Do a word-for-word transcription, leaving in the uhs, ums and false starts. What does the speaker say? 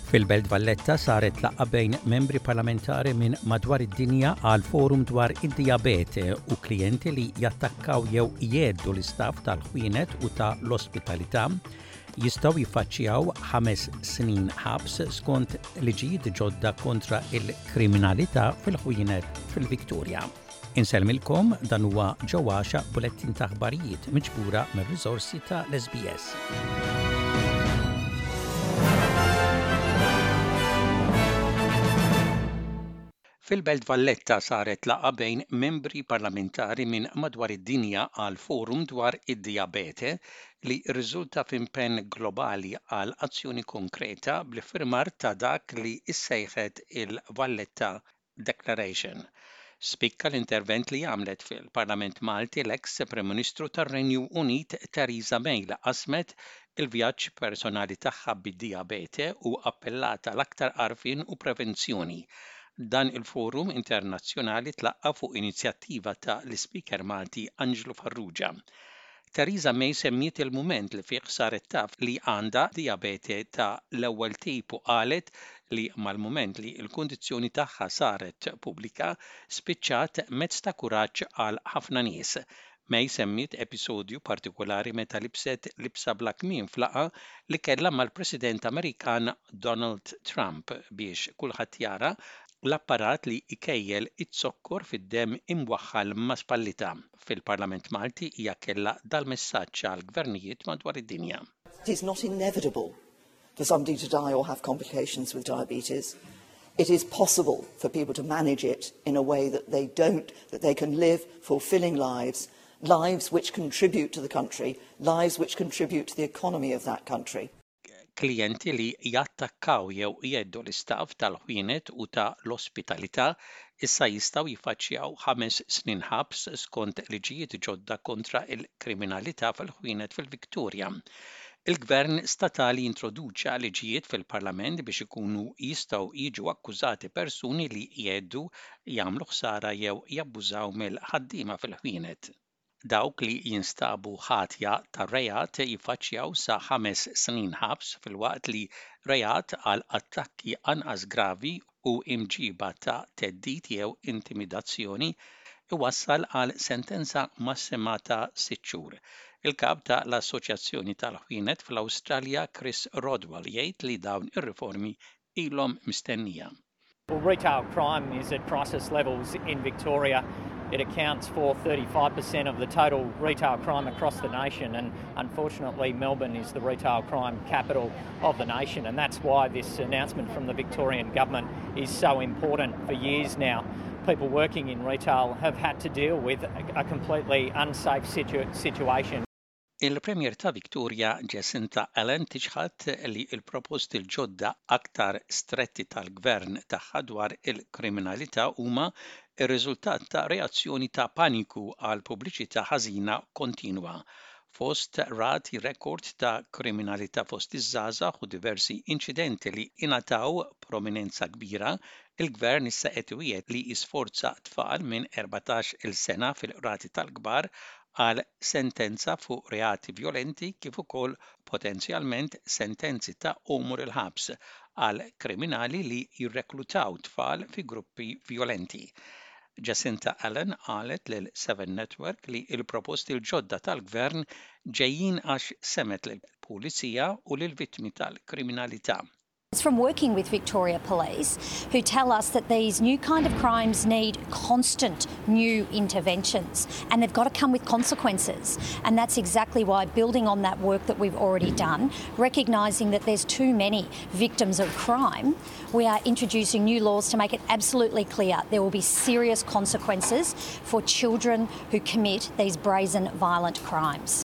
Fil-Belt Valletta saret laqgħa bejn membri parlamentari minn madwar id-dinja għal forum dwar id-dijabete u klijenti li jattakkaw jew jheddu l-istaff tal-ħwienet u ta' l-ospitalità jistgħu jiffaċċjaw ħames snin ħabs skont liġijiet ġodda kontra il-kriminalità fil-ħwienet fil-Victoria. Insellmilkom dan huwa ġewwaxa bulettin ta' aħbarijiet miġbura mir-riżorsi ta' l-SBS. Fil-Belt Valletta saret laqgħa bejn membri parlamentari minn madwar id-dinja għal forum dwar id-dijabete li rriżulta f'impenn globali għal azzjoni konkreta bl-iffirmar ta' dak li issejħet il-Valletta Declaration. Spikka l-intervent li għamlet fil-Parlament Malti l-eks Prim Ministru tar-Renju Unit Theresa May li qasmet il-vjaġġ personali tagħha bid-dijabete u appellat għal aktar għarfien u prevenzjoni. Dan il-forum internazzjonali tlaqqa fuq inizjattiva ta' l-Ispeaker Malti Anġlu Farrugia. Theresa May semmiet il-mument li fih saret taf li għandha dijabete ta' l-ewwel tip u qalet li mal-mument li l-kundizzjoni tagħha saret pubblika spiċċat mezz ta' kuraġġ għal ħafna nies. May semmiet episodju partikolari meta libset libsa bla kmiem f'laqgħa li kellha mal-President Amerikan Donald Trump biex kulħadd jara l-apparat li jkejjel iz-zokkor fid-demm imwaħħal ma' spallitha. Fil-Parlament Malti hija kellha dal-messaġġ għal gvernijiet madwar id-dinja. It is not inevitable for somebody to die or have complications with diabetes. It is possible for people to manage it in a way that they don't, that they can live fulfilling lives, lives which contribute to the country, lives which contribute to the economy of that country. Klijenti li jattakkaw jew jheddu l-istaff tal-ħwienet u ta' l-ospitalità issa jistgħu jiffaċċjaw ħames snin ħabs skont liġijiet ġodda kontra il-kriminalità fil-ħwienet fil-Victoria. Il-Gvern statali introduċa liġijiet fil-Parlament biex ikunu jistgħu jiġu akkużati persuni li jheddu, jagħmlu ħsara jew jabbużaw mill-ħaddiema fil-ħwienet. Dawk li jinstabu ħatja tar-reat jiffaċċjaw sa ħames snin ħabs filwaqt li reat għal attakki anqas gravi u imġiba ta' theddid jew intimidazzjoni iwassal għal sentenza massima ta' sitt xhur. Il-kap ta' l-Assoċjazzjoni tal-Ħwienet fl-Awstralja Chris Rodwell jgħid li dawn ir-riformi ilhom mistennija. Well, retail crime is at crisis levels in Victoria. It accounts for thirty-five percent of the total retail crime across the nation, and unfortunately Melbourne is the retail crime capital of the nation, and that's why this announcement from the Victorian government is so important. For years now, people working in retail have had to deal with a completely unsafe situ- situation. Il-Premier ta' Victoria Jacinta Allan tiċħad li l-proposti l-ġodda aktar stretti tal-gvern tagħha dwar il-kriminalità huma r-riżultat ta' reazzjoni ta' paniku għal pubbliċità ħażina kontinwa. Fost rati rekord ta' kriminalità fost iż-żgħażagħ u diversi inċidenti li ingħataw prominenza kbira, il-gvern issa qed iwiegħed li jisforza tfal minn erbatax-il sena fil-qrati tal-kbar għal sentenza fuq reati violenti kif ukoll potenzjalment sentenzi ta' għomor il-ħabs għal kriminali li jirreklutaw tfal fi gruppi violenti. Jacinta Allan qalet lil Seven Network li l-proposti l-ġodda tal-gvern ġejjin għax semgħet lill-pulizija u lill-vittmi tal-kriminalità. It's from working with Victoria Police, who tell us that these new kind of crimes need constant new interventions and they've got to come with consequences. And that's exactly why, building on that work that we've already done, recognising that there's too many victims of crime, we are introducing new laws to make it absolutely clear there will be serious consequences for children who commit these brazen violent crimes.